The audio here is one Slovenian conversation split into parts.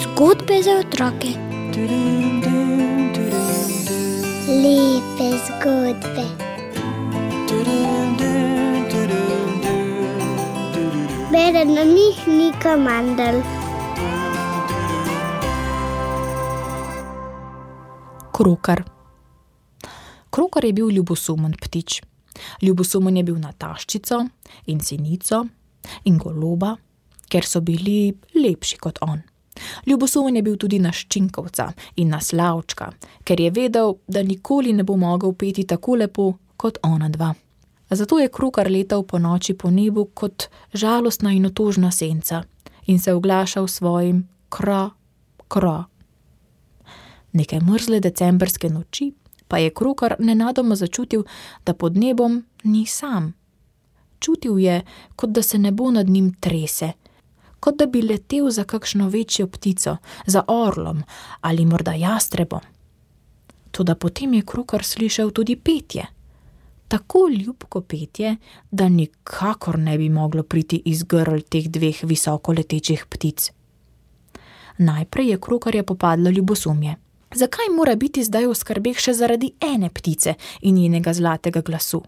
Zgodbe za otroke. Lepe zgodbe. Bere na njih Nika Mandl. Krokar. Krokar je bil ljubosumen ptič. Ljubosumen je bil na taščico in sinico in goloba, ker so bili lepši kot on. Ljubosumen je bil tudi na ščinkovca in na slavčka, ker je vedel, da nikoli ne bo mogel peti tako lepo kot ona dva. Zato je krokar letal po noči po nebu kot žalostna in otožna senca in se oglašal svojim kra, kra. Neke mrzle decembrske noči pa je krokar nenadoma začutil, da pod nebom ni sam. Čutil je, kot da se nebo nad njim trese, kot da bi letel za kakšno večjo ptico, za orlom ali morda jastrebom. Toda potem je krokar slišal tudi petje. Tako ljubko petje, da nikakor ne bi moglo priti iz grl teh dveh visoko letečih ptic. Najprej je krokarja popadlo ljubosumje. Zakaj mora biti zdaj v skrbeh še zaradi ene ptice in njenega zlatega glasu?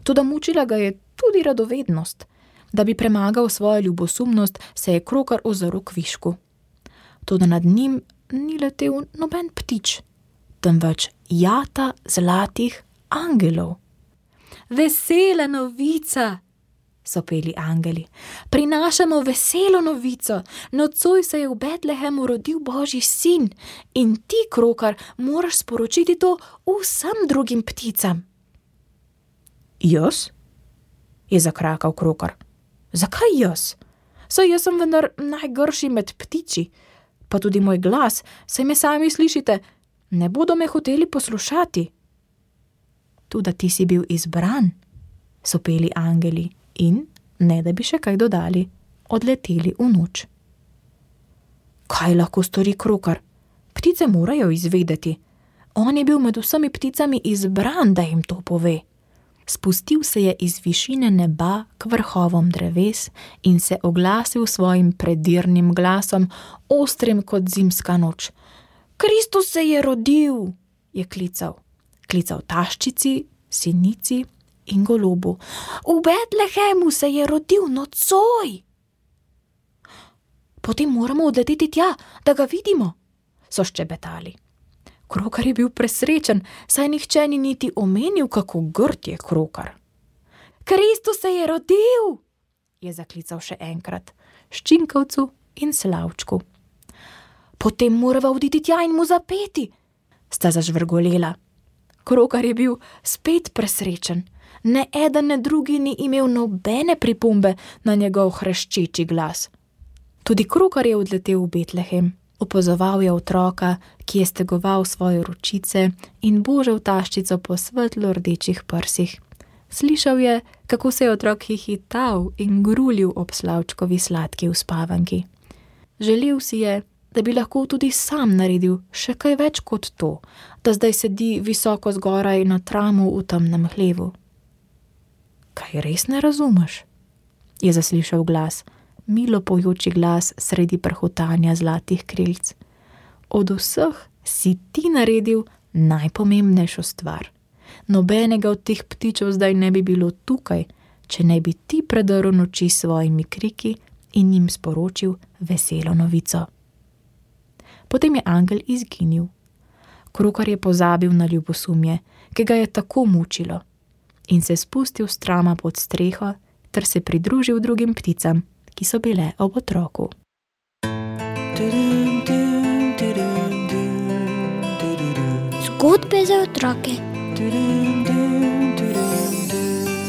Toda mučila ga je tudi radovednost. Da bi premagal svojo ljubosumnost, se je krokar ozrl k višku. Toda nad njim ni letel noben ptič, temveč jata zlatih angelov. Vesela novica, so peli angeli. Prinašamo veselo novico. Nocoj se je v Betlehemu rodil Božji sin in ti, krokar, moraš sporočiti to vsem drugim pticam. Jaz? Je zakrakal krokar. Zakaj jaz? Saj jaz sem vendar najgrši med ptiči, pa tudi moj glas, saj me sami slišite, ne bodo me hoteli poslušati. Toda ti si bil izbran, so peli angeli in, ne da bi še kaj dodali, odleteli v noč. Kaj lahko stori krokar? Ptice morajo izvedeti. On je bil med vsemi pticami izbran, da jim to pove. Spustil se je iz višine neba k vrhovom dreves in se oglasil svojim predirnim glasom, ostrim kot zimska noč. Kristus se je rodil, je klical. Klical taščici, sinici in golobu. V Betlehemu se je rodil nocoj. Potem moramo odleteti tja, da ga vidimo, so ščebetali. Krokar je bil presrečen, saj nihče ni niti omenil, kako grd je krokar. Kristus se je rodil, je zaklical še enkrat, ščinkovcu in slavčku. Potem morava oditi tja in mu zapeti, sta zažvrgolela. Krokar je bil spet presrečen. Ne eden, ne drugi ni imel nobene pripombe na njegov hreščeči glas. Tudi krokar je odletel v Betlehem. Opazoval je otroka, ki je stegoval svoje ročice in božal taščico po svetlo rdečih prsih. Slišal je, kako se je otrok hihital in grulil ob slavčkovi sladki uspavanki. Želel si je, da bi lahko tudi sam naredil še kaj več kot to, da zdaj sedi visoko zgoraj na tramu v temnem hlevu. Kaj res ne razumeš? Je zaslišal glas. Milo pojoči glas sredi prhutanja zlatih krilc. Od vseh si ti naredil najpomembnejšo stvar. Nobenega od teh ptičev zdaj ne bi bilo tukaj, če ne bi ti predrl noči s svojimi kriki in jim sporočil veselo novico. Potem je angel izginil. Krokar je pozabil na ljubosumje, ki ga je tako mučilo, in se spustil s trama pod streho ter se pridružil drugim pticam, ki so bile ob otroku. Zgodbe za otroke.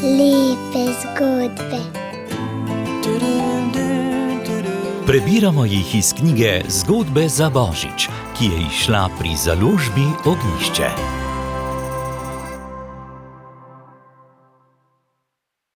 Lepe zgodbe. Prebiramo jih iz knjige Zgodbe za Božič, ki je izšla pri založbi Ognjišče.